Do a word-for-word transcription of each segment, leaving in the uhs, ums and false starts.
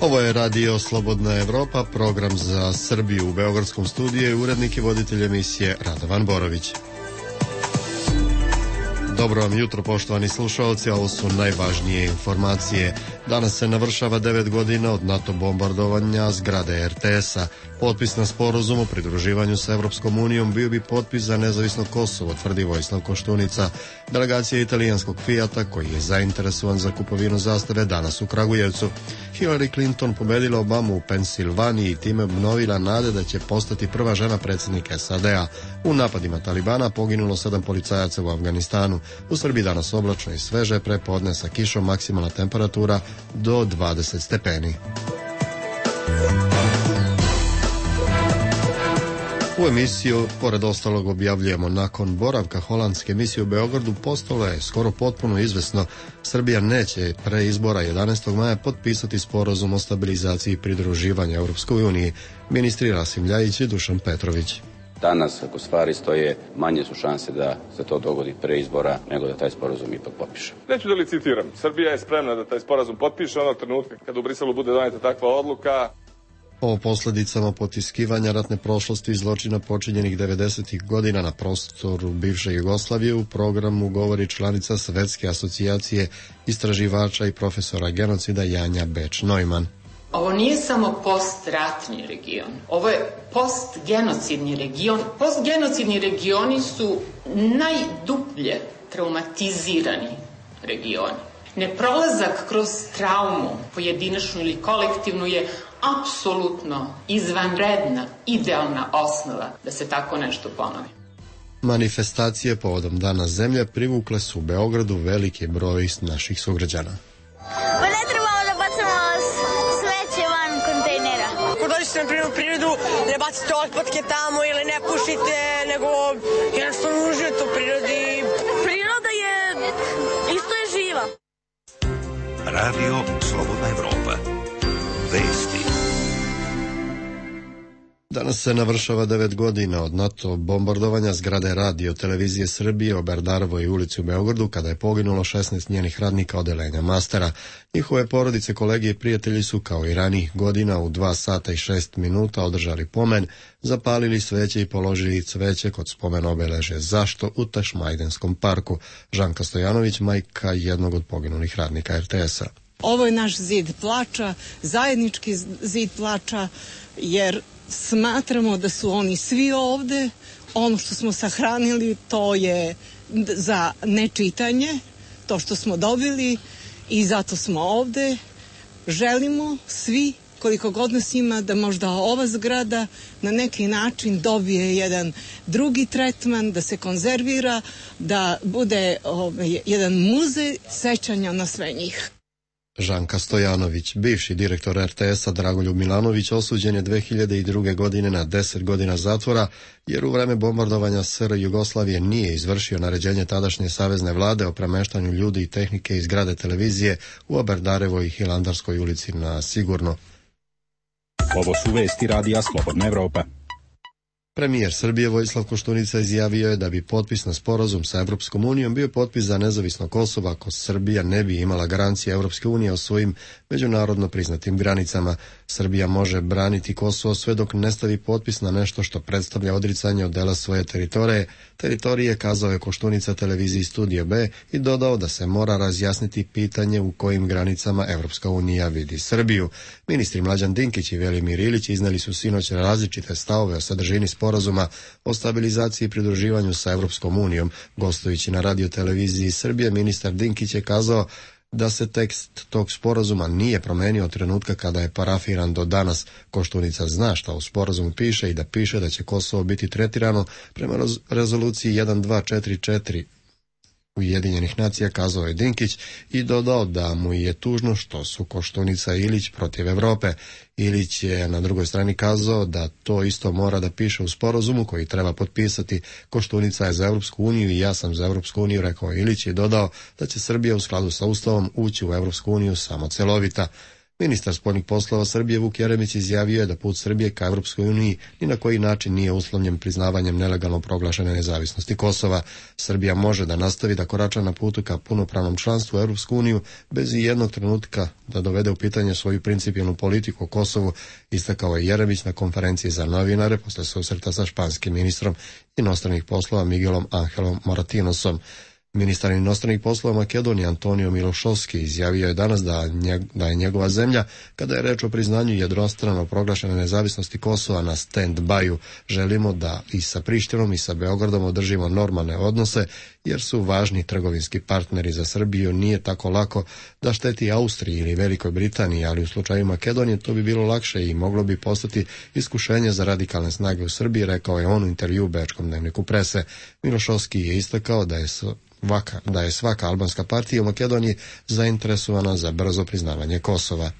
Ovo je Radio Slobodna Evropa, program za Srbiju. U beogradskom studiju i urednik i voditelj emisije Radovan Borović. Dobro vam jutro, poštovani slušalci, ovo su najvažnije informacije. Danas se navršava devet godina od NATO bombardovanja zgrade er te es-a. Potpis na sporazum o pridruživanju sa Evropskom unijom bio bi potpis za nezavisno Kosovo, tvrdi Vojislav Koštunica. Delegacija italijanskog Fijata, koji je zainteresovan za kupovinu zastave, danas u Kragujevcu. Hillary Clinton pobedila Obamu u Pensilvaniji i time obnovila nade da će postati prva žena predsjednika es a de a. U napadima Talibana poginulo sedam policajaca u Afganistanu. U Srbiji danas oblačno i sveže, prepodne sa kišom, maksimalna temperatura do dvadeset stepeni. U emisiju, pored ostalog, objavljujemo nakon boravka holandske misije u Beogradu, postalo je skoro potpuno izvesno Srbija neće pre izbora jedanaestog maja potpisati sporazum o stabilizaciji i pridruživanju Europskoj uniji. Ministri Rasim Ljajić i Dušan Petrović. Danas, ako stvari stoje, manje su šanse da se to dogodi pre izbora nego da taj sporazum ipak potpiše. Neću da licitiram. Srbija je spremna da taj sporazum potpiše onog trenutka kada u Briselu bude doneta takva odluka. O posledicama potiskivanja ratne prošlosti i zločina počinjenih devedesetih godina na prostoru bivše Jugoslavije u programu govori članica Svetske asocijacije istraživača i profesora genocida Janja Beč-Neumann. Ovo nije samo postratni region, ovo je postgenocidni region. Postgenocidni regioni su najdublje traumatizirani regioni. Neprolazak kroz traumu, pojedinačnu ili kolektivnu, je apsolutno izvanredna, idealna osnova da se tako nešto ponovi. Manifestacije povodom Dana zemlje privukle su u Beogradu veliki broj naših sugrađana. Pa ne trebamo da bacamo smeće van kontejnera. Ako dođete na prirodnu prirodu, ne bacite otpadke tamo ili ne pušite, nego jednostavno uživate u prirodi. Priroda je, isto je živa. Radio Slobodna Evropa. Vesti. Danas se navršava devet godina od NATO bombardovanja zgrade Radio Televizije Srbije u Berdarovoj ulici u Beogradu, kada je poginulo šesnaest njenih radnika odeljenja Mastera. Njihove porodice, kolege i prijatelji su kao i ranijih godina u dva sata i šest minuta održali pomen, zapalili sveće i položili cveće kod spomen obeležja Zašto u Tašmajdenskom parku. Žanka Stojanović, majka jednog od poginulih radnika er te es-a. Ovo je naš zid plača, zajednički zid plača, jer smatramo da su oni svi ovde. Ono što smo sahranili, to je za nečitanje, to što smo dobili, i zato smo ovde. Želimo svi, koliko god nas ima, da možda ova zgrada na neki način dobije jedan drugi tretman, da se konzervira, da bude ovaj, jedan muzej sećanja na sve njih. Žanka Stojanović, bivši direktor er te es-a Dragoljub Milanović, osuđen je dve hiljade druge. godine na deset godina zatvora, jer u vreme bombardovanja es er Jugoslavije nije izvršio naređenje tadašnje savezne vlade o premeštanju ljudi i tehnike iz zgrade televizije u Berdarevoj i Hilandarskoj ulici na sigurno. Ovo su vesti Radija Slobodna Evropa. Premijer Srbije Vojislav Koštunica izjavio je da bi potpis na sporazum sa Evropskom unijom bio potpis za nezavisno Kosovo ako Srbija ne bi imala garancije Evropske unije o svojim međunarodno priznatim granicama. Srbija može braniti Kosovo sve dok ne stavi potpis na nešto što predstavlja odricanje od dela svoje teritorije, teritorije, kazao je Koštunica televiziji Studio B i dodao da se mora razjasniti pitanje u kojim granicama Evropska unija vidi Srbiju. Ministri Mlađan Dinkić i Velimir Ilić izneli su sinoć različite stavove o sadržini sporazuma o stabilizaciji i pridruživanju sa Evropskom unijom. Gostujući na radio televiziji Srbije, ministar Dinkić je kazao da se tekst tog sporazuma nije promenio od trenutka kada je parafiran do danas. Koštunica zna šta u sporazumu piše i da piše da će Kosovo biti tretirano prema rezoluciji jedan dva četiri četiri Ujedinjenih nacija, kazao je Dinkić i dodao da mu je tužno što su Koštunica i Ilić protiv Evrope. Ilić je na drugoj strani kazao da to isto mora da piše u sporazumu koji treba potpisati. Koštunica je za Evropsku uniju i ja sam za Evropsku uniju, rekao Ilić, i dodao da će Srbija u skladu sa Ustavom ući u Evropsku uniju samo celovita. Ministar spoljnih poslova Srbije Vuk Jeremić izjavio je da put Srbije ka Evropskoj uniji ni na koji način nije uslovljen priznavanjem nelegalno proglašene nezavisnosti Kosova. Srbija može da nastavi da korača na putu ka punopravnom članstvu u Evropsku uniju bez i jednog trenutka da dovede u pitanje svoju principijelnu politiku o Kosovu, istakao je Jeremić na konferenciji za novinare posle susreta sa španskim ministrom inostranih poslova Miguelom Angelom Moratinosom. Ministar inostranih poslova Makedonije Antonio Milošovski izjavio je danas da, njeg, da je njegova zemlja, kada je reč o priznanju jednostrano proglašene nezavisnosti Kosova, na stand-by-u. Želimo da i sa Prištinom i sa Beogradom održimo normalne odnose, jer su važni trgovinski partneri za Srbiju. Nije tako lako da šteti Austriji ili Velikoj Britaniji, ali u slučaju Makedonije to bi bilo lakše i moglo bi postati iskušenje za radikalne snage u Srbiji, rekao je on u intervju u Bečkom dnevniku Prese. Milošovski je istakao da je Vaka, da je svaka albanska partija u Makedoniji zainteresovana za brzo priznavanje Kosova.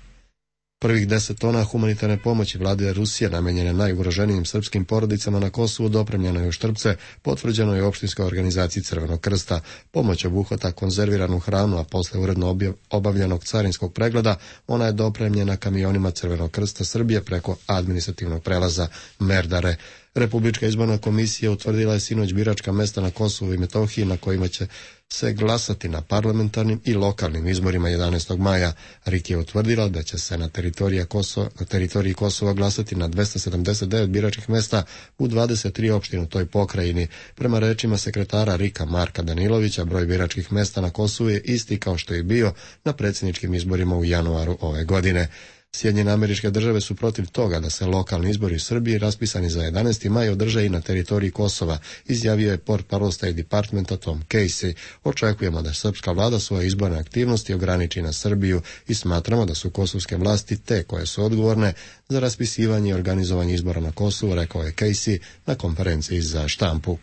Prvih deset tona humanitarne pomoći vlade Rusije namenjene najugroženijim srpskim porodicama na Kosovu dopremljeno je u Štrpce, potvrđeno je u opštinskoj organizaciji Crvenog krsta. Pomoć obuhvata konzerviranu hranu, a posle uredno obavljenog carinskog pregleda ona je dopremljena kamionima Crvenog krsta Srbije preko administrativnog prelaza Merdare. Republička izborna komisija utvrdila je sinoć biračka mesta na Kosovu i Metohiji na kojima će se glasati na parlamentarnim i lokalnim izborima jedanaestog maja. R I K je utvrdila da će se na teritoriji Kosova, na teritoriji Kosova glasati na dvesta sedamdeset devet biračkih mesta u dvadeset tri opštine u toj pokrajini. Prema rečima sekretara R I K-a Marka Danilovića, broj biračkih mesta na Kosovu je isti kao što je bio na predsjedničkim izborima u januaru ove godine. Sjedinjene Američke Države su protiv toga da se lokalni izbori u Srbiji raspisani za jedanaesti maj održe i na teritoriji Kosova, izjavio je portparol State Departmenta Tom Casey. Očekujemo da srpska vlada svoje izborne aktivnosti ograniči na Srbiju i smatramo da su kosovske vlasti te koje su odgovorne za raspisivanje i organizovanje izbora na Kosovu, rekao je Casey na konferenciji za štampu.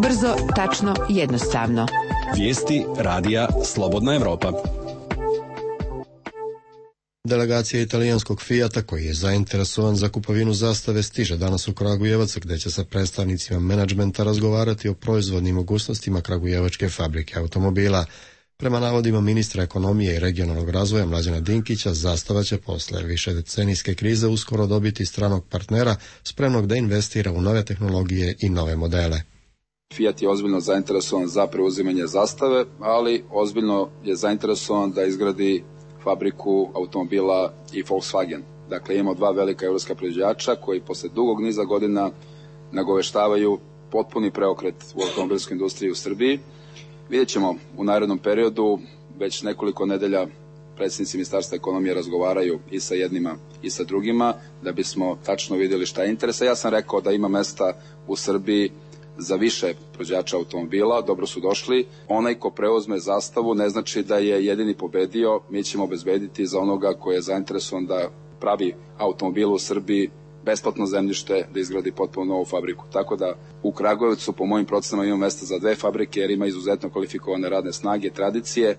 Brzo, tačno, jednostavno. Vijesti radija Slobodna Evropa. Delegacija italijanskog Fijata, koji je zainteresovan za kupovinu zastave, stiže danas u Kragujevac, gde će sa predstavnicima menadžmenta razgovarati o proizvodnim mogućnostima kragujevačke fabrike automobila. Prema navodima ministra ekonomije i regionalnog razvoja Mlađana Dinkića, zastava će posle višedecenijske krize uskoro dobiti stranog partnera spremnog da investira u nove tehnologije i nove modele. Fiat je ozbiljno zainteresovan za preuzimanje zastave, ali ozbiljno je zainteresovan da izgradi fabriku automobila i Volkswagen. Dakle, imamo dva velika evropska proizvođača koji posle dugog niza godina nagoveštavaju potpuni preokret u automobilskoj industriji u Srbiji. Vidjet ćemo u narednom periodu, već nekoliko nedelja predsjednici Ministarstva ekonomije razgovaraju i sa jednima i sa drugima, da bismo tačno vidjeli šta je interesa. Ja sam rekao da ima mesta u Srbiji za više proizvođača automobila, dobro su došli. Onaj ko preuzme zastavu ne znači da je jedini pobedio, mi ćemo obezbediti za onoga koji je zainteresovan da pravi automobil u Srbiji besplatno zemljište, da izgradi potpuno novu fabriku. Tako da u Kragujevcu po mojim procenama ima mesta za dve fabrike jer ima izuzetno kvalifikovane radne snage, tradicije.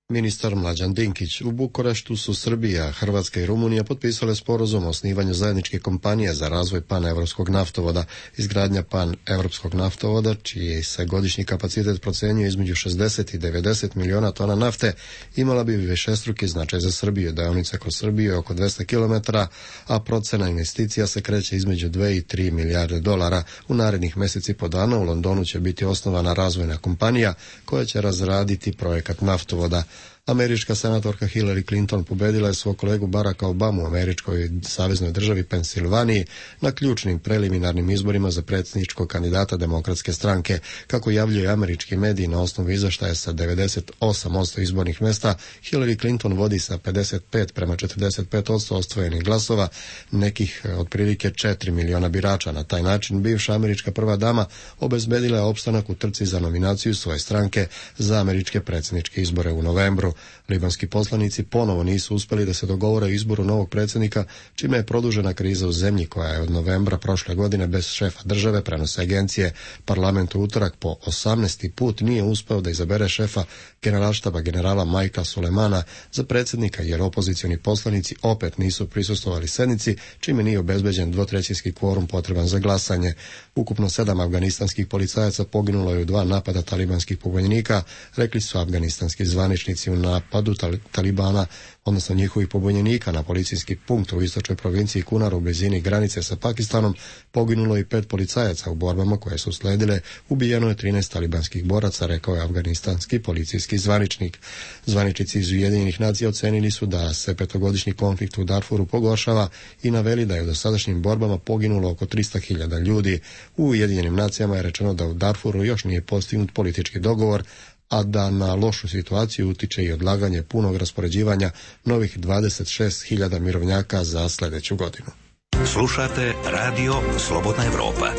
Ministar Mlađan Dinkić. U Bukureštu su Srbija, Hrvatska i Rumunija potpisale sporazum o osnivanju zajedničke kompanije za razvoj panevropskog naftovoda. Izgradnja panevropskog naftovoda, čiji se godišnji kapacitet procenjuje između šezdeset i devedeset miliona tona nafte, imala bi višestruki značaj za Srbiju. Deonica kroz Srbiju je oko dvesta kilometara, a procena investicija se kreće između dve i tri milijarde dolara. U narednih meseci po dana u Londonu će biti osnovana razvojna kompanija koja će razraditi projekat naftovoda. Američka senatorka Hillary Clinton pobedila je svog kolegu Baracka Obamu u američkoj saveznoj državi Pensilvaniji na ključnim preliminarnim izborima za predsjedničkog kandidata Demokratske stranke. Kako javljaju američki mediji na osnovu izveštaja sa devedeset osam posto izbornih mesta, Hillary Clinton vodi sa pedeset pet prema četrdeset pet posto osvojenih glasova, nekih otprilike četiri miliona birača. Na taj način bivša američka prva dama obezbedila je opstanak u trci za nominaciju svoje stranke za američke predsjedničke izbore u novembru. Libanski poslanici ponovo nisu uspeli da se dogovore o izboru novog predsjednika, čime je produžena kriza u zemlji koja je od novembra prošle godine bez šefa države, prenose agencije. Parlament u utorak po osamnaesti put nije uspeo da izabere šefa generalštaba generala Majka Sulemana za predsjednika, jer opozicioni poslanici opet nisu prisustvovali sednici, čime nije obezbeđen dvotrećinski kvorum potreban za glasanje. Ukupno sedam afganistanskih policajaca poginulo je u dva napada talibanskih pobunjenika, rekli su afganistanski zvaničnici u napadu Talibana, odnosno njihovih pobunjenika na policijski punkt u istočnoj provinciji Kunar u blizini granice sa Pakistanom, poginulo i pet policajaca u borbama koje su sledile. Ubijeno je trinaest talibanskih boraca, rekao je afganistanski policijski zvaničnik. Zvaničnici iz Ujedinjenih nacija ocenili su da se petogodišnji konflikt u Darfuru pogoršava i naveli da je u dosadašnjim borbama poginulo oko trista hiljada ljudi. U Ujedinjenim nacijama je rečeno da u Darfuru još nije postignut politički dogovor, a da na lošu situaciju utiče i odlaganje punog raspoređivanja novih dvadeset šest hiljada mirovnjaka za sljedeću godinu. Slušate Radio Slobodna Evropa.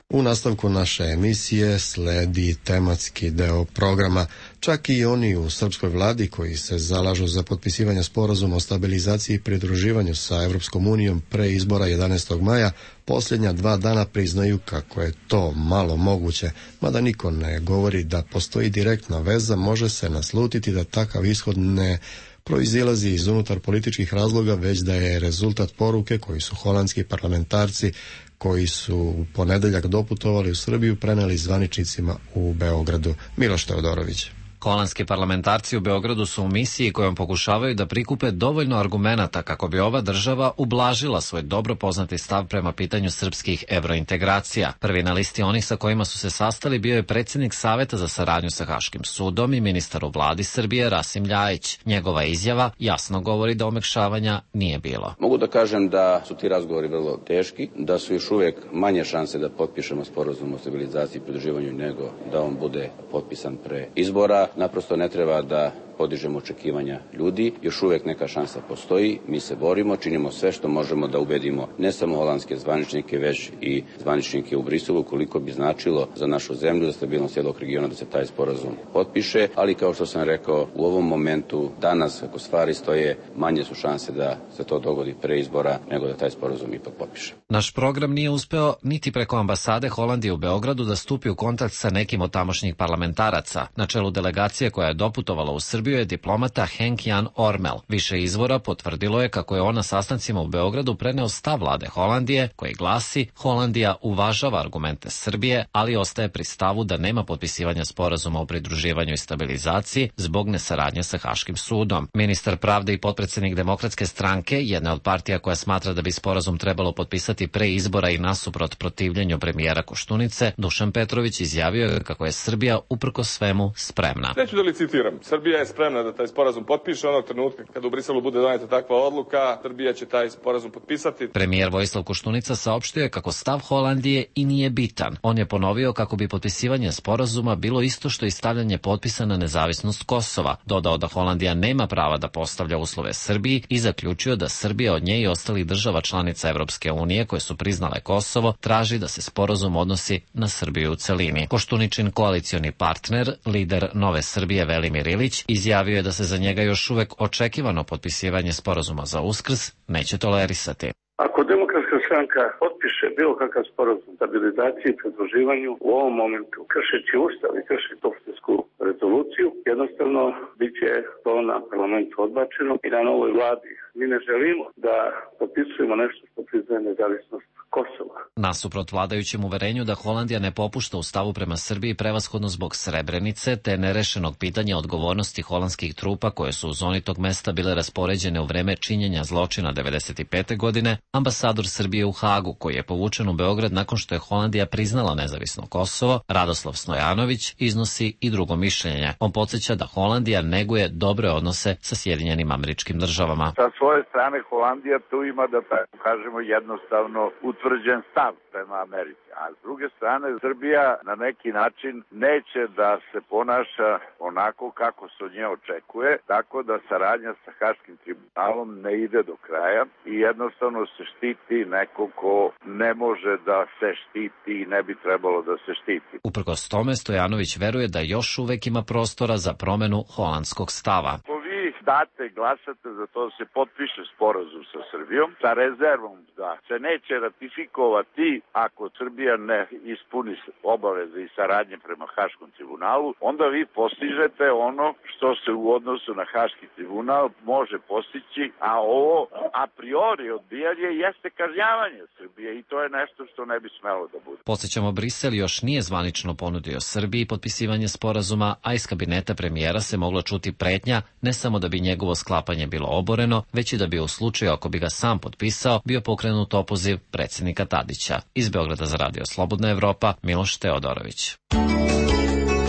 U nastavku naše emisije sledi tematski deo programa. Čak i oni u srpskoj vladi koji se zalažu za potpisivanje sporazuma o stabilizaciji i pridruživanju sa Evropskom unijom pre izbora jedanaestog maja, posljednja dva dana priznaju kako je to malo moguće, mada niko ne govori da postoji direktna veza, može se naslutiti da takav ishod ne proizilazi iz unutar političkih razloga, već da je rezultat poruke koji su holandski parlamentarci koji su u ponedeljak doputovali u Srbiju preneli zvaničnicima u Beogradu. Miloš Teodorović. Holandski parlamentarci u Beogradu su u misiji kojom pokušavaju da prikupe dovoljno argumenata kako bi ova država ublažila svoj dobro poznati stav prema pitanju srpskih evrointegracija. Prvi na listi onih sa kojima su se sastali bio je predsjednik Saveta za saradnju sa Haškim sudom i ministar u vladi Srbije Rasim Ljajić. Njegova izjava jasno govori da omekšavanja nije bilo. Mogu da kažem da su ti razgovori vrlo teški, da su još uvijek manje šanse da potpišemo sporazum o stabilizaciji i pridruživanju nego da on bude potpisan pre izbora. Naprosto ne treba da podižemo očekivanja ljudi, još uvijek neka šansa postoji, mi se borimo, činimo sve što možemo da ubedimo ne samo holandske zvaničnike, već i zvaničnike u Briselu, koliko bi značilo za našu zemlju, za stabilnost cijelog regiona da se taj sporazum potpiše, ali kao što sam rekao, u ovom momentu, danas, kako stvari stoje, manje su šanse da se to dogodi pre izbora, nego da taj sporazum ipak potpiše. Naš program nije uspeo niti preko ambasade Holandije u Beogradu da stupi u kontakt sa nekim od tamošnjih parlamentaraca. Na čelu delegacije koja je doputovala u Srbiju je diplomata Henk Jan Ormel. Više izvora potvrdilo je kako je on na sastancima u Beogradu preneo stav vlade Holandije, koji glasi: Holandija uvažava argumente Srbije, ali ostaje pri stavu da nema potpisivanja sporazuma o pridruživanju i stabilizaciji zbog nesaradnje sa Haškim sudom. Ministar pravde i potpredsjednik Demokratske stranke, jedna od partija koja smatra da bi sporazum trebalo potpisati pre izbora i nasuprot protivljenju premijera Koštunice, Dušan Petrović izjavio je kako je Srbija uprkos svemu spremna. Neću da li citiram, Srbija je spremna da taj sporazum potpiše onog trenutka kada u Briselu bude doneta takva odluka, Srbija će taj sporazum potpisati. Premijer Vojislav Koštunica saopštio je kako stav Holandije i nije bitan. On je ponovio kako bi potpisivanje sporazuma bilo isto što i stavljanje potpisa na nezavisnost Kosova. Dodao da Holandija nema prava da postavlja uslove Srbiji i zaključio da Srbija od nje i ostalih država članica Evropske unije koje su priznale Kosovo traži da se sporazum odnosi na Srbiju u celini. Koštuničin koalicioni partner, lider Nove Srbije Velimir Ilić, izjavio je da se za njega još uvek očekivano potpisivanje sporazuma za Uskrs neće tolerisati. Ako Demokratska stranka potpiše bilo kakav sporazum stabilizaciji i pridruživanju u ovom momentu, kršeći Ustav i kršeći Opštinsku rezoluciju, jednostavno bit će to na parlamentu odbačeno i na novoj vladi. Mi ne želimo da potpisujemo nešto što priznaje nezavisnost Kosova. Nasuprot vladajućem uverenju da Holandija ne popušta u stavu prema Srbiji prevashodno zbog Srebrenice te nerešenog pitanja odgovornosti holandskih trupa koje su u zoni tog mesta bile raspoređene u vreme činjenja zločina devedeset pete godine, ambasador Srbije u Hagu, koji je povučen u Beograd nakon što je Holandija priznala nezavisno Kosovo, Radoslav Snojanović, iznosi i drugo mišljenje. On podsjeća da Holandija neguje dobre odnose sa Sjedinjenim Američkim Državama. Sa svoje strane Holandija tu ima, da tako kažemo, jednostavno utvrđen stav prema Americi. A s druge strane, Srbija na neki način neće da se ponaša onako kako se od nje očekuje, tako da saradnja sa Haškim tribunalom ne ide do kraja i jednostavno se štiti neko ko ne može da se štiti i ne bi trebalo da se štiti. Uprkos tome, Stojanović veruje da još uvek ima prostora za promenu holandskog stava. Vi date, glasate za to da se potpiše sporazum sa Srbijom, sa rezervom da se neće ratifikovati ako Srbija ne ispuni obaveze i saradnje prema Haškom tribunalu, onda vi postižete ono što se u odnosu na Haški tribunal može postići, a ovo a priori odbijanje jeste kažnjavanje Srbije i to je nešto što ne bi smelo da bude. Podsjećamo, Brisel još nije zvanično ponudio Srbiji potpisivanje sporazuma, a iz kabineta premijera se mogla čuti pretnja ne samo da bi njegovo sklapanje bilo oboreno, već i da bi u slučaju ako bi ga sam potpisao bio pokrenut opoziv predsjednika Tadića. Iz Beograda za Radio Slobodna Evropa, Miloš Teodorović.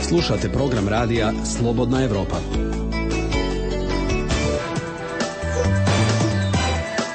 Slušate program radija Slobodna Evropa.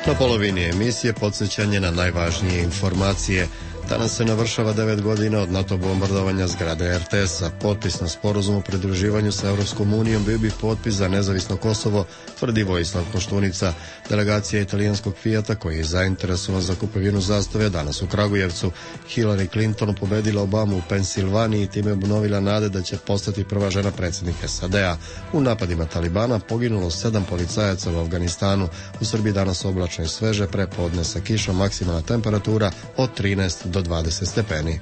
Na polovini emisije podsjećanje na najvažnije informacije. Danas se navršava devet godina od NATO bombardovanja zgrade er te es-a. Potpis na sporazum o pridruživanju sa Evropskom unijom bio bi potpis za nezavisno Kosovo, tvrdi Vojislav Koštunica. Delegacija italijanskog Fijata, koji je zainteresovan za kupovinu zastave, danas u Kragujevcu. Hillary Clinton pobedila Obamu u Pensilvaniji i time obnovila nade da će postati prva žena predsjednik es a de a. U napadima Talibana poginulo sedam policajaca u Afganistanu. U Srbiji danas oblačno i sveže, prepodne sa kišom, maksimalna temperatura od trinaest do dvadeset stepeni.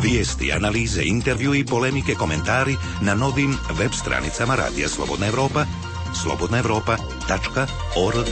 Vijesti, analize, intervju i polemike, komentari na novim web stranicama Radija Slobodna Evropa, slobodna evropa tačka org.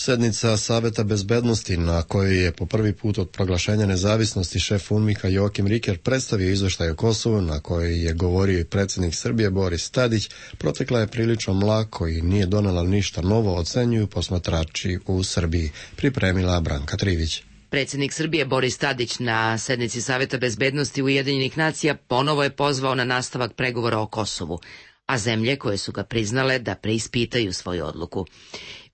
Sednica Saveta bezbednosti na kojoj je po prvi put od proglašenja nezavisnosti šef UNMIK-a Joakim Riker predstavio izveštaj o Kosovu, na kojoj je govorio i predsjednik Srbije Boris Tadić, protekla je prilično mlako i nije donela ništa novo, ocenjuju posmatrači u Srbiji. Pripremila Branka Trivić. Predsjednik Srbije Boris Tadić na sednici Saveta bezbednosti Ujedinjenih nacija ponovo je pozvao na nastavak pregovora o Kosovu, a zemlje koje su ga priznale da preispitaju svoju odluku.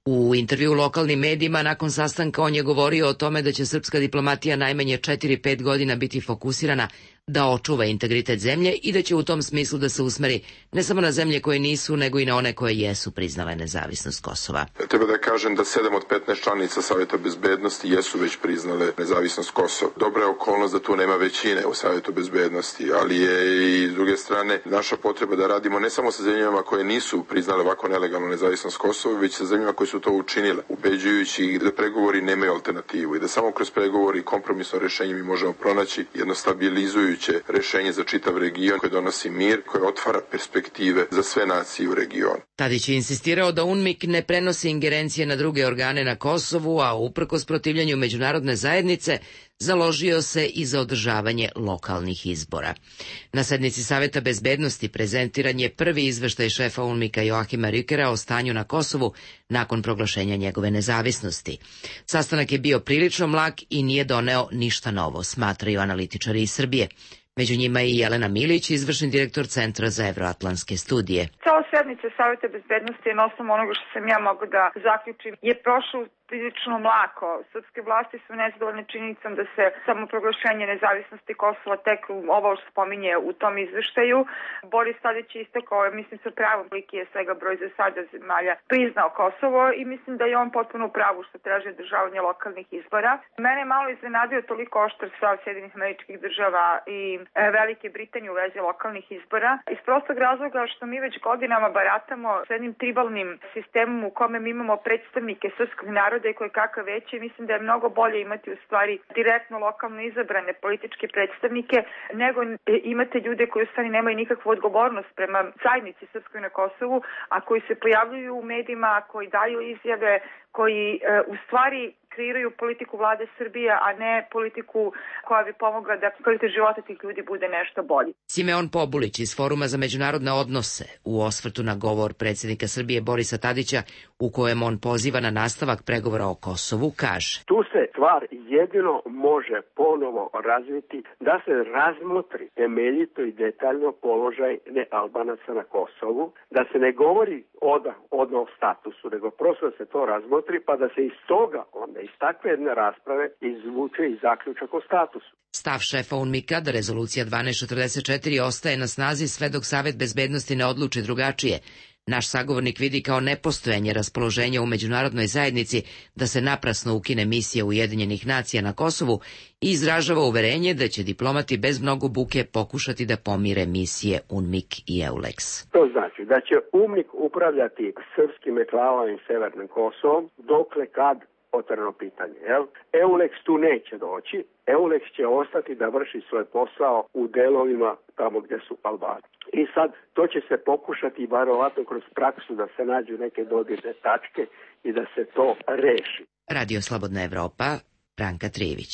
U intervju u lokalnim medijima nakon sastanka on je govorio o tome da će srpska diplomatija najmanje četiri do pet godina biti fokusirana da očuva integritet zemlje i da će u tom smislu da se usmeri ne samo na zemlje koje nisu, nego i na one koje jesu priznale nezavisnost Kosova. Treba da kažem da sedam od petnaest članica Saveta bezbednosti jesu već priznale nezavisnost Kosova. Dobra je okolnost da tu nema većine u Savetu bezbednosti, ali je i s druge strane naša potreba da radimo ne samo sa zemljama koje nisu priznale ovako nelegalnu nezavisnost Kosova, već sa zemljama koje su to učinile, ubeđujući da pregovori nemaju alternativu i da samo kroz pregovori i kompromisno rešenje mi možemo pronaći jedno stabilizujuće rešenje za čitav region koje donosi mir, koje otvara perspektive za sve nacije u regionu. Tadić je insistirao da UNMIK ne prenosi ingerencije na druge organe na Kosovu, a uprkos protivljanju međunarodne zajednice založio se i za održavanje lokalnih izbora. Na sednici Saveta bezbednosti prezentiran je prvi izveštaj šefa UNMIK-a Joakima Rikera o stanju na Kosovu nakon proglašenja njegove nezavisnosti. Sastanak je bio prilično mlak i nije doneo ništa novo, smatraju analitičari iz Srbije. Među njima je i Jelena Milić, izvršni direktor Centra za evroatlantske studije. Cela sednica Saveta bezbednosti je na osnovu onoga što sam ja mogu da zaključim je prošlo prilično mlako. Srpske vlasti su nezadovoljne činjenicom da se samoproglašenje nezavisnosti Kosova tek ovo što spominje u tom izveštaju. Boris Tadić je istakao, mislim sa pravom, koliki je svega broj za sada zemalja priznao Kosovo i mislim da je on potpuno u pravu što traži održavanje lokalnih izbora. Mene je malo iznenadio toliko oštar stav Sjedinjenih Američkih Država i Velike Britanije u vezi lokalnih izbora. Iz prostog razloga što mi već godinama baratamo s jednim tribalnim sistemom u kome mi imamo predstavnike srpskog naroda i koje kakav veće, mislim da je mnogo bolje imati u stvari direktno lokalno izabrane političke predstavnike nego imate ljude koji u stvari nemaju nikakvu odgovornost prema zajednici srpskoj na Kosovu, a koji se pojavljuju u medijima, koji daju izjave, koji e, u stvari kreiraju politiku vlade Srbije, a ne politiku koja bi pomogla da kvalitet života tih ljudi bude nešto bolji. Simeon Pobulić iz Foruma za međunarodne odnose u osvrtu na govor predsjednika Srbije Borisa Tadića u kojem on poziva na nastavak pregovora o Kosovu kaže: Tu se stvar jedino može ponovo razviti da se razmotri temeljito i detaljno položaj nealbanaca na Kosovu, da se ne govori odmah o statusu, nego prosto da se to razmotri pa da se iz toga onda iz takve jedne rasprave izvuče i zaključak o statusu. Stav šefa UNMIK-a da rezolucija dvanaest četrdeset četiri ostaje na snazi sve dok Savet bezbednosti ne odluči drugačije, naš sagovornik vidi kao nepostojanje raspoloženja u međunarodnoj zajednici da se naprasno ukine misija Ujedinjenih nacija na Kosovu i izražava uverenje da će diplomati bez mnogo buke pokušati da pomire misije UNMIK i EULEX. To znači da će UNMIK upravljati srpskim enklavama i Severnim Kosovom dokle kad otvoreno pitanje. Jel? EULEX tu neće doći. EULEX će ostati da vrši svoj posao u delovima tamo gdje su Albani. I sad to će se pokušati verovatno kroz praksu da se nađu neke dodirne tačke i da se to reši. Radio Slobodna Evropa, Branka Trijević.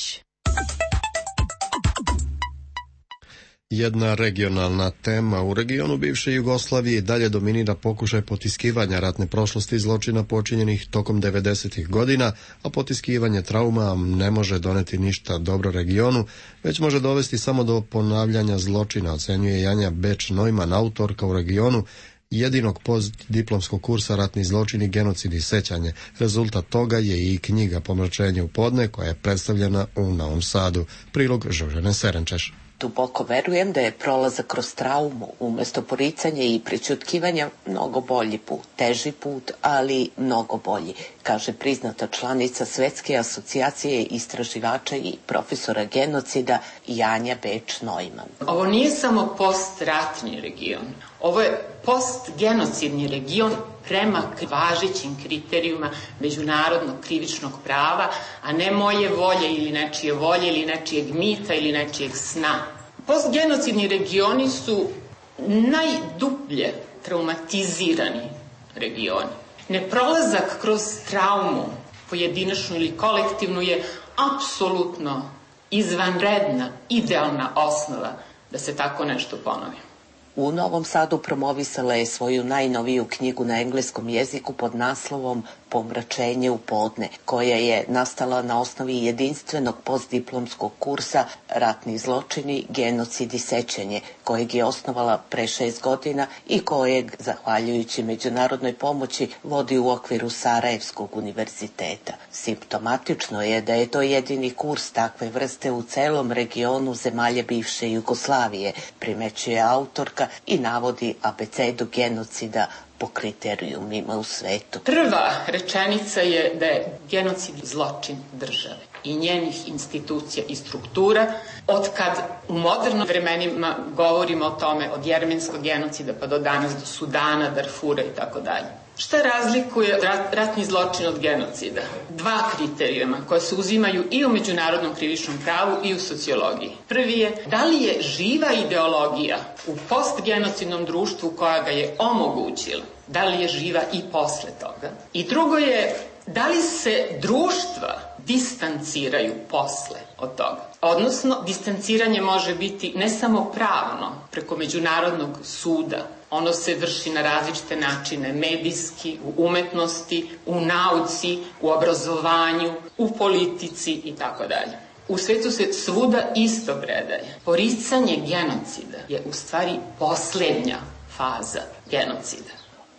Jedna regionalna tema u regionu bivše Jugoslavije dalje dominira pokušaj potiskivanja ratne prošlosti i zločina počinjenih tokom devedesetih godina, a potiskivanje trauma ne može doneti ništa dobro regionu, već može dovesti samo do ponavljanja zločina, ocenjuje Janja Beč-Neumann, autorka u regionu jedinog postdiplomskog kursa Ratni zločini, genocid i sećanje. Rezultat toga je i knjiga Pomračenje u podne, koja je predstavljena u Novom Sadu. Prilog Žožene Serenčeš. Duboko verujem da je prolazak kroz traumu umjesto poricanja i prećutkivanja mnogo bolji put, teži put, ali mnogo bolji, kaže priznata članica Svetske asocijacije istraživača i profesora genocida Janja Beč-Neumann. Ovo nije samo postratni region, ovo je postgenocidni region prema važećim kriterijuma međunarodnog krivičnog prava, a ne moje volje ili nečije volje ili nečijeg mita ili nečijeg sna. Postgenocidni regioni su najdublje traumatizirani regioni. Neprolazak kroz traumu, pojedinačnu ili kolektivnu, je apsolutno izvanredna, idealna osnova da se tako nešto ponovi. U Novom Sadu promovisala je svoju najnoviju knjigu na engleskom jeziku pod naslovom Pomračenje u podne, koja je nastala na osnovi jedinstvenog postdiplomskog kursa Ratni zločini, genocid i sećanje, kojeg je osnovala pre šest godina i kojeg, zahvaljujući međunarodnoj pomoći, vodi u okviru Sarajevskog univerziteta. Simptomatično je da je to jedini kurs takve vrste u celom regionu zemalja bivše Jugoslavije, primećuje autorka i navodi abecedu genocida po kriterijumima u svetu. Prva rečenica je da je genocid zločin države i njenih institucija i struktura. Od kad u modernim vremenima govorimo o tome, od jermenskog genocida pa do danas, do Sudana, Darfura i tako dalje. Šta razlikuje ratni zločin od genocida? Dva kriterijuma koje se uzimaju i u međunarodnom krivičnom pravu i u sociologiji. Prvi je, da li je živa ideologija u postgenocidnom društvu koja ga je omogućila, da li je živa i posle toga? I drugo je, da li se društva distanciraju posle od toga? Odnosno, distanciranje može biti ne samo pravno, preko međunarodnog suda. Ono se vrši na različite načine, medijski, u umetnosti, u nauci, u obrazovanju, u politici i tako dalje. U svetu se svuda isto predaje. Poricanje genocida je u stvari posljednja faza genocida.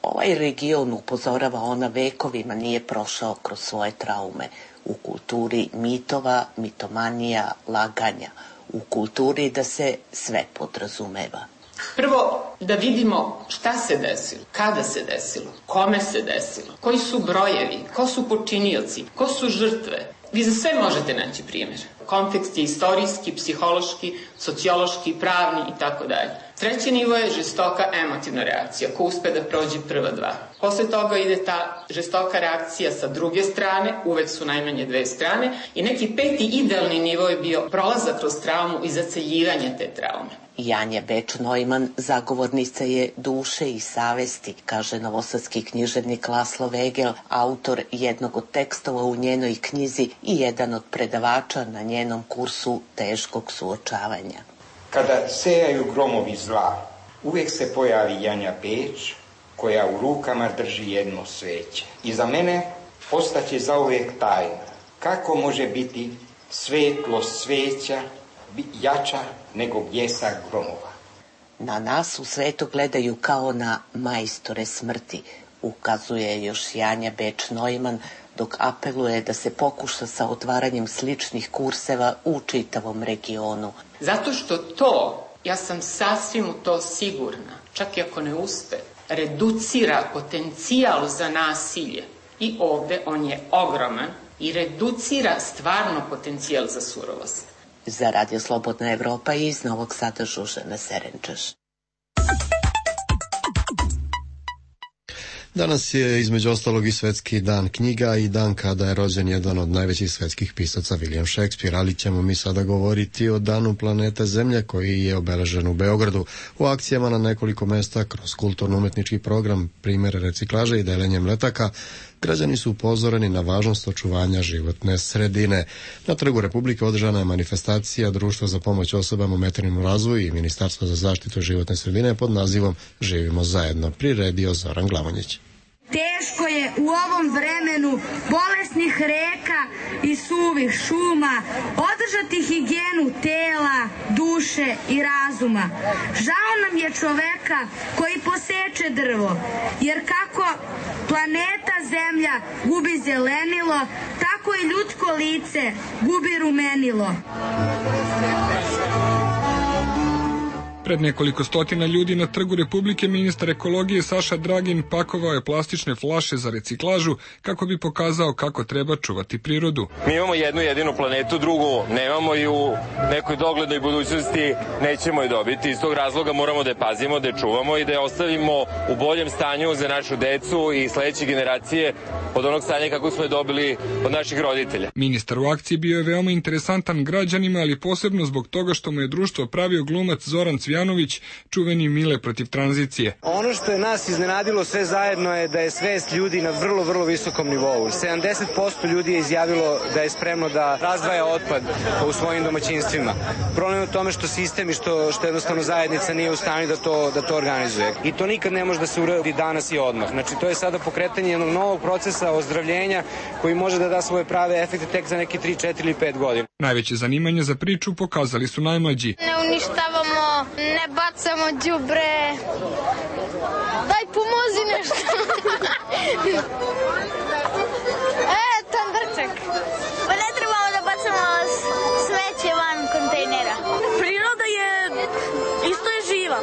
Ovaj region, upozorava ona, vekovima nije prošao kroz svoje traume. U kulturi mitova, mitomanija, laganja. U kulturi da se sve podrazumeva. Prvo, da vidimo šta se desilo, kada se desilo, kome se desilo, koji su brojevi, ko su počinioci, ko su žrtve. Vi za sve možete naći primjer. Kontekst je istorijski, psihološki, sociološki, pravni i tako dalje. Treći nivo je žestoka emotivna reakcija, ko uspe da prođe prva dva. Posle toga ide ta žestoka reakcija sa druge strane, uvek su najmanje dve strane, i neki peti idealni nivo je bio prolazak kroz traumu i zaceljivanje te traume. Janja Beč-Neumann zagovornica je duše i savesti, kaže novosadski književnik Laslo Vegel, autor jednog od tekstova u njenoj knjizi i jedan od predavača na njenom kursu teškog suočavanja. Kada sejaju gromovi zla, uvijek se pojavi Janja Beč, koja u rukama drži jedno sveće. I za mene ostaće zauvijek tajna. Kako može biti svetlost sveća jača nego bljesak gromova? Na nas u svetu gledaju kao na majstore smrti, ukazuje još Janja Beč-Neumann, dok apeluje da se pokuša sa otvaranjem sličnih kurseva u čitavom regionu. Zato što to, ja sam sasvim u to sigurna, čak i ako ne uspe, reducira potencijal za nasilje i ovde on je ogroman i reducira stvarno potencijal za surovost. Za Radio Slobodna Evropa iz Novog Sada Žužana Serenčaš. Danas je između ostalog i Svetski dan knjiga i dan kada je rođen jedan od najvećih svetskih pisaca William Shakespeare, ali ćemo mi sada govoriti o danu planete Zemlje koji je obeležen u Beogradu u akcijama na nekoliko mesta kroz kulturno-umetnički program, primjere reciklaže i delenjem letaka. Građani su upozoreni na važnost očuvanja životne sredine. Na Trgu Republike održana je manifestacija Društva za pomoć osobama u materijalnom razvoju i Ministarstva za zaštitu životne sredine pod nazivom Živimo zajedno, priredio Zoran Glavonjić. Teško je u ovom vremenu bolesnih reka i suvih šuma održati higijenu tela, duše i razuma. Žao nam je čoveka koji poseče drvo, jer kako planeta Zemlja gubi zelenilo, tako i ljudsko lice gubi rumenilo. Pred nekoliko stotina ljudi na Trgu Republike ministar ekologije Saša Dragin pakovao je plastične flaše za reciklažu kako bi pokazao kako treba čuvati prirodu. Mi imamo jednu jedinu planetu, drugu nemamo i u nekoj doglednoj budućnosti nećemo je dobiti. Iz tog razloga moramo da je pazimo, da je čuvamo i da je ostavimo u boljem stanju za našu decu i sledeće generacije od onog stanja kako smo je dobili od naših roditelja. Ministar u akciji bio je veoma interesantan građanima, ali posebno zbog toga što mu je društvo pravio glumac Zoran Cvijanović, čuveni Mile protiv tranzicije. Ono što je nas iznenadilo sve zajedno je da je svest ljudi na vrlo, vrlo visokom nivou. sedamdeset posto ljudi je izjavilo da je spremno da razdvaja otpad u svojim domaćinstvima. Problem je u tome što sistem i što, što jednostavno zajednica nije u stanju da to, da to organizuje. I to nikad ne može da se uradi danas i odmah. Znači, to je sada pokretanje jednog novog procesa ozdravljenja koji može da da svoje prave efekte tek za neke tri, četiri ili pet godina. Najveće zanimanje za priču pokazali su najmlađi. Ne uništavamo, ne bacamo đubre. Daj, pomozi nešto. E, tandrčak. Pa ne trebamo da bacamo smeće van kontejnera. Priroda je, isto je živa.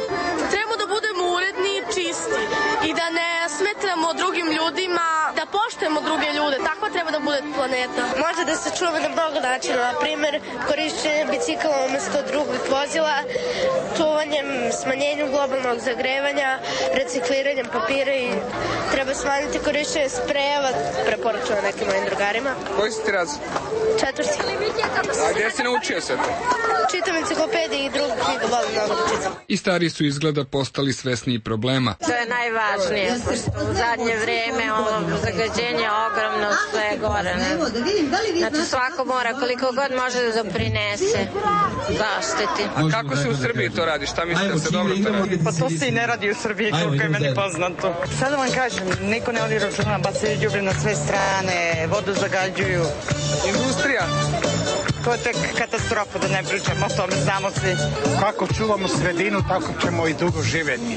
Treba da budemo uredni i čisti i da ne smetamo drugim ljudima, da poštujemo druge ljude. Takva treba da bude planeta. Može da se čuva na mnogo načina. Na primer, korišćenje bicikla umesto drugih vozila, čuvanjem, smanjenjem globalnog zagrevanja, recikliranjem papira i treba smanjiti korišćenje sprejeva, preporučujem nekim mojim drugarima. Koji si ti razred? Četvrti. A gdje si naučio sve to? Čitam enciklopedije i drugu knjigu, volim mnogo da čitam. I stari su izgleda postali svesniji problema. To je najvažnije, pošto u zadnje vreme ovo zagađenje ogromno sve gore. Ne? Znači svako mora koliko god može da doprinese zaštiti. A kako se u Srbiji to radi? Šta mislite da se dobro to radi? Pa to se i ne radi u Srbiji, koliko je meni poznato. Sad da vam kažem, niko ne vodi računa, bacaju đubre na sve strane, vodu zagađuju. Industrija? To je tek katastrofa, da ne pričamo o tome, znamo svi. Kako čuvamo sredinu, tako ćemo i dugo živjeti.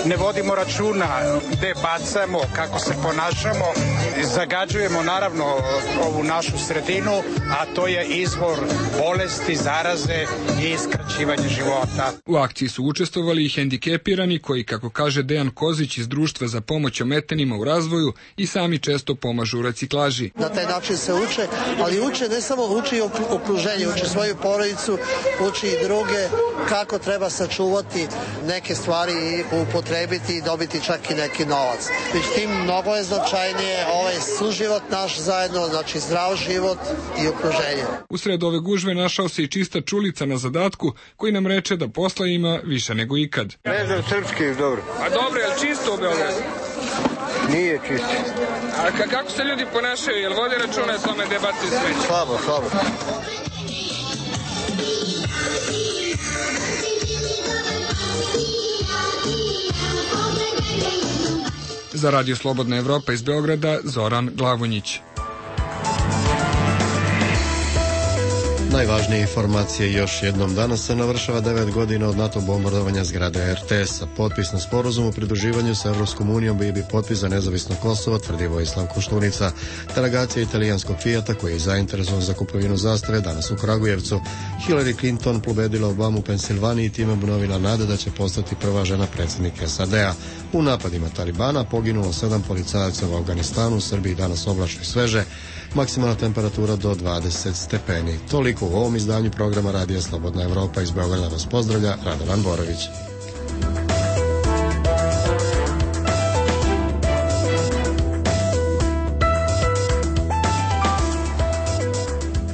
Ne vodimo računa gde bacamo, kako se ponašamo, zagađujemo naravno ovu našu sredinu, a to je izvor bolesti, zaraze i skraćivanje života. U akciji su učestvovali i hendikepirani koji, kako kaže Dejan Kozić iz Društva za pomoć ometenima u razvoju, i sami često pomažu u reciklaži. Na taj način se uče, ali uče ne samo uči okruženje, uči svoju porodicu, uči i druge kako treba sačuvati neke stvari i upotrebiti i dobiti čak i neki novac. Međutim, mnogo je značajnije ovaj suživot naš zajedno, znači zdrav život i okruženje. Usred ove gužve našao se i čista čulica na zadatku koji nam reče da posla ima više nego ikad. Ne znam srpski, dobro. A dobro, je li čisto u Beogradu? Nije čisto. A ka, kako se ljudi ponašaju? Jel vode računa o tome gde bacaju smeće? Slabo, slabo. Za Radio Slobodna Evropa iz Beograda, Zoran Glavonjić. Najvažnije informacije još jednom. Danas se navršava devet godina od NATO bombardovanja zgrade er te es-a. Potpis na sporazum o pridruživanju sa Evropskom unijom bio bi potpis za nezavisno Kosovo, tvrdi Vojislav Koštunica. Delegacija italijanskog Fijata, koji je zainteresovan za kupovinu zastave, danas u Kragujevcu. Hillary Clinton pobedila Obamu u Pensilvaniji i time obnovila nade da će postati prva žena predsjednik es a de a. U napadima Talibana poginulo sedam policajaca u Afganistanu, u Srbiji danas oblačno i sveže, maksimalna temperatura do dvadeset stepeni. Toliko u ovom izdanju programa Radija Slobodna Evropa. Iz Beograda vas pozdravlja Radovan Borović.